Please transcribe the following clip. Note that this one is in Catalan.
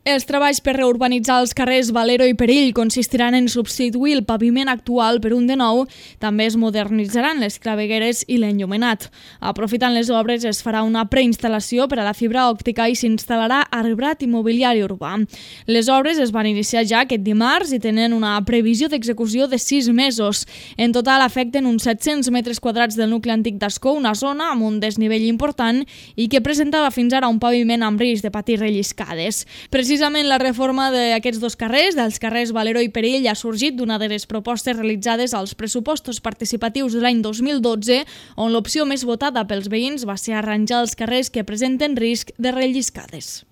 Els treballs per reurbanitzar els carrers Valero i Perill consistiran en substituir el paviment actual per un de nou. També es modernitzaran les clavegueres i l'enllumenat. Aprofitant les obres es farà una preinstal·lació per a la fibra òptica i s'instal·larà arbrat immobiliari urbà. Les obres es van iniciar ja aquest dimarts i tenen una previsió d'execució de 6 mesos. En total afecten uns 700 metres quadrats del nucli antic d'Ascó, una zona amb un desnivell important i que presentava fins ara un paviment amb risc de patir relliscades. Precisament la reforma d'aquests dos carrers, dels carrers Valero i Perill, ha sorgit d'una de les propostes realitzades als pressupostos participatius de l'any 2012, on l'opció més votada pels veïns va ser arranjar els carrers que presenten risc de relliscades.